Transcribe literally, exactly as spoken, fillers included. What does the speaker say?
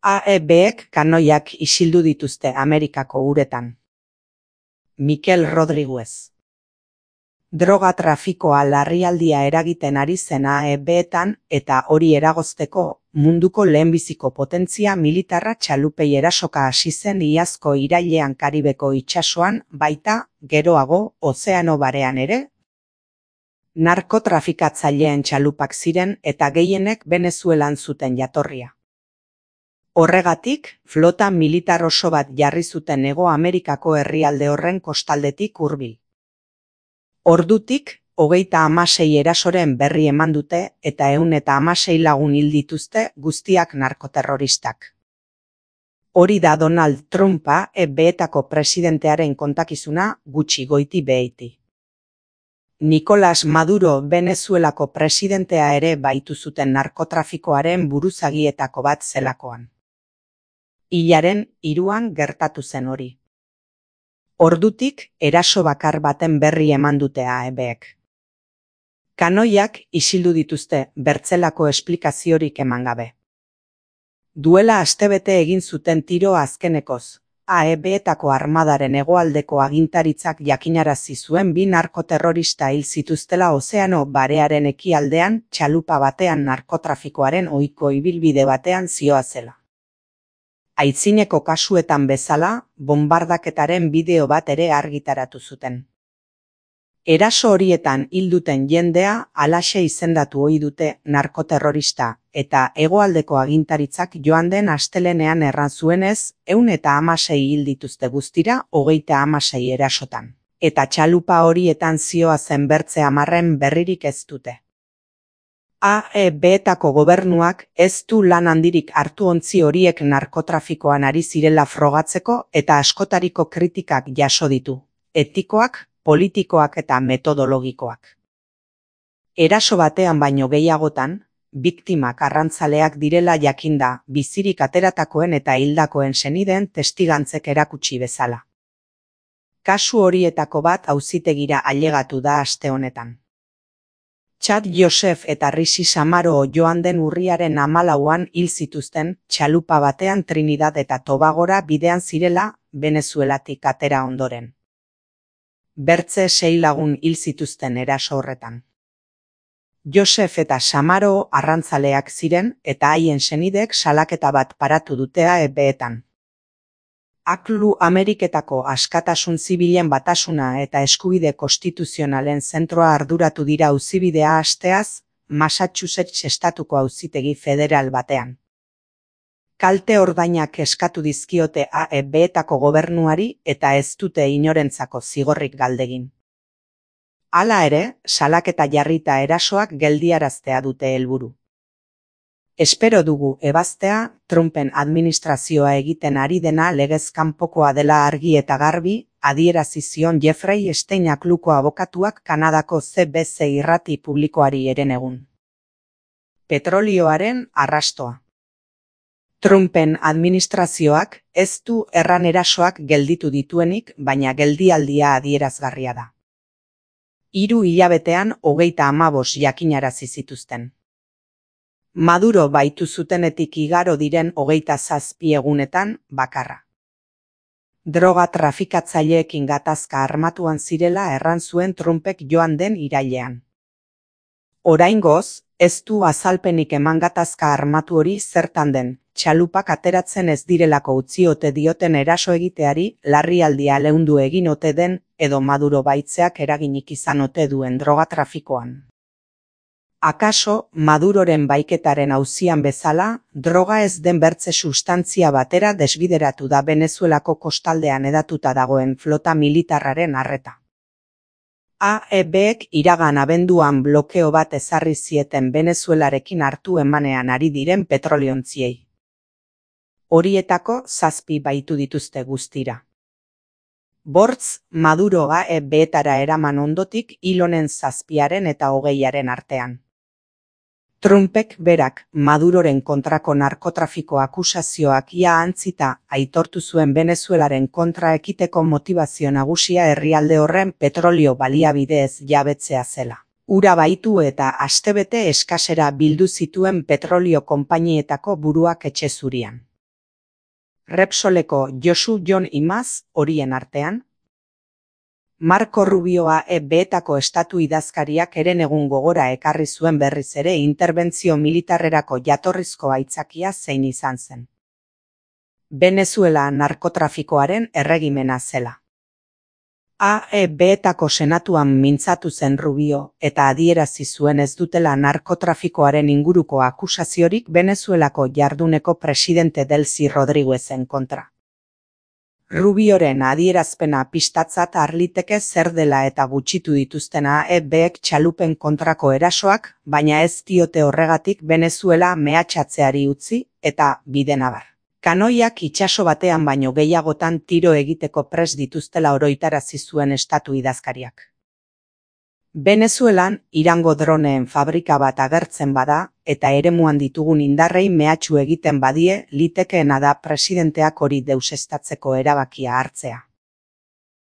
A E Bek kanoiak isildu dituzte Amerikako uretan. Mikel Rodriguez. Droga trafikoa larrialdia eragiten ari zen A E Beetan eta hori eragozteko munduko lehenbiziko potentzia militarra txalupei erasoka hasi zen iazko irailean Karibeko itsasoan, baita, geroago, Ozeano Barean ere. Narkotrafikatzaileen txalupak ziren eta gehienek Venezuelan zuten jatorria. Horregatik, flota militar oso bat jarri zuten Hego Amerikako herrialde horren kostaldetik hurbil. Ordutik, hogeita hamasei erasoren berri eman dute eta ehun eta hamasei lagun hil dituzte guztiak narkoterroristak. Hori da Donald Trumpa A E Beetako presidentearen kontakizuna gutxi goiti beheiti. Nicolás Maduro Venezuelako presidentea ere baitu zuten narkotrafikoaren buruzagietako bat zelakoan. Hilaren hiruan gertatu zen hori. Ordutik, eraso bakar baten berri eman dute A E Bek. Kanoiak isildu dituzte bertzelako esplikaziorik eman gabe. Duela astebete egin zuten tiro azkenekoz, A E Beetako armadaren hegoaldeko agintaritzak jakinarazi zuen bi narkoterrorista hil zituztela Ozeano Barearen ekialdean txalupa batean narkotrafikoaren ohiko ibilbide batean zihoazela. Aitzineko kasuetan bezala, bonbardaketaren bideo bat ere argitaratu zuten. Eraso horietan hil duten jendea halaxe izendatu ohi dute narkoterrorista eta hegoaldeko agintaritzak joan den astelehenean erran zuenez, ehun eta hamasei hil dituzte guztira hogeita hamasei erasotan. Eta txalupa horietan zihoazen bertze hamarren berririk ez dute. A E Beetako gobernuak ez du lan handirik hartu ontzi horiek narkotrafikoan ari zirela frogatzeko eta askotariko kritikak jaso ditu, etikoak, politikoak eta metodologikoak. Eraso batean baino gehiagotan, biktimak arrantzaleak direla jakinda bizirik ateratakoen eta hildakoen senideen testigantzek erakutsi bezala. Kasu horietako bat auzitegira ailegatu da aste honetan. Chad Joseph eta Rishi Samaro joan den urriaren hamalauan hil zituzten txalupa batean Trinidad eta Tobagora bidean zirela Venezuelatik atera ondoren. Bertze sei lagun hil zituzten eraso horretan. Joseph eta Samaro arrantzaleak ziren eta haien senidek salaketa bat paratu dute A E Beetan. Aklu Ameriketako Askatasun Zibilen Batasuna eta Eskubide Konstituzionalen Zentroa arduratu dira auzibidea hasteaz, Massachusetts estatuko auzitegi federal batean. Kalte ordainak eskatu dizkiote A E Beetako gobernuari eta ez dute inorentzako zigorrik galdegin. Hala ere, salaketa jarrita erasoak geldiaraztea dute helburu. Espero dugu ebaztea, Trumpen administrazioa egiten ari dena legez kanpokoa dela argi eta garbi, adierazi zion Jeffrey Epstein akluko abokatuak Kanadako C B C irrati publikoari herenegun. Petrolioaren arrastoa. Trumpen administrazioak ez du erran erasoak gelditu dituenik, baina geldialdia adierazgarria da. Hiru hilabetean hogeita hamabost jakinarazi zituzten. Maduro baitu zutenetik igaro diren hogeita zazpi egunetan bakarra. Droga trafikatzaileekin gatazka armatuan zirela erran zuen Trumpek joan den irailean. Oraingoz, ez du azalpenik eman gatazka armatu hori zertan den, txalupak ateratzen ez direlako utzi ote dioten eraso egiteari, larrialdia leundu egin ote den, edo Maduro baitzeak eraginik izan ote duen droga trafikoan. Akaso, Maduroren baiketaren auzian bezala, droga ez den bertze sustantzia batera desbideratu da Venezuelako kostaldean hedatuta dagoen flota militarraren arreta. A E Bek iragan abenduan blokeo bat ezarri zieten Venezuelarekin hartu emanean ari diren petroliontziei. Horietako zazpi baitu dituzte guztira. Bortz, Maduro A E Beetara eraman ondotik hil honen zazpiaren eta hogeiaren artean. Trumpek berak Maduroren kontrako narkotrafiko akusazioak ia antzita aitortu zuen Venezuelaren kontra ekiteko motivazio nagusia herrialde horren petrolio baliabideez jabetzea zela. Ura baitu eta astebete eskasera bildu zituen petrolio konpainietako buruak etxe zurian. Repsoleko Josu Jon Imaz horien artean. Marco Rubioa E B-etako estatu idazkariak herenegun gogora ekarri zuen berriz ere interbentzio militarrerako jatorrizko aitzakia zein izan zen. Venezuela narkotrafikoaren erregimena zela. A E B-etako senatuan mintzatu zen Rubio eta adierazi zuen ez dutela narkotrafikoaren inguruko akusaziorik Venezuelako jarduneko presidente Delcy Rodriguezen kontra. Rubioren adierazpena pistatzat harliteke zer dela eta gutxitu dituzten A E B-ek txalupen kontrako erasoak, baina ez diote horregatik Venezuela mehatxatzeari utzi eta bidenabar. Kanoiak itsaso batean baino gehiagotan tiro egiteko prest dituztela oroitarazi zuen estatu idazkariak. Venezuelan Irango droneen fabrika bat agertzen bada eta eremuan ditugun indarrei mehatxu egiten badie litekeena da presidenteak hori deuseztatzeko erabakia hartzea.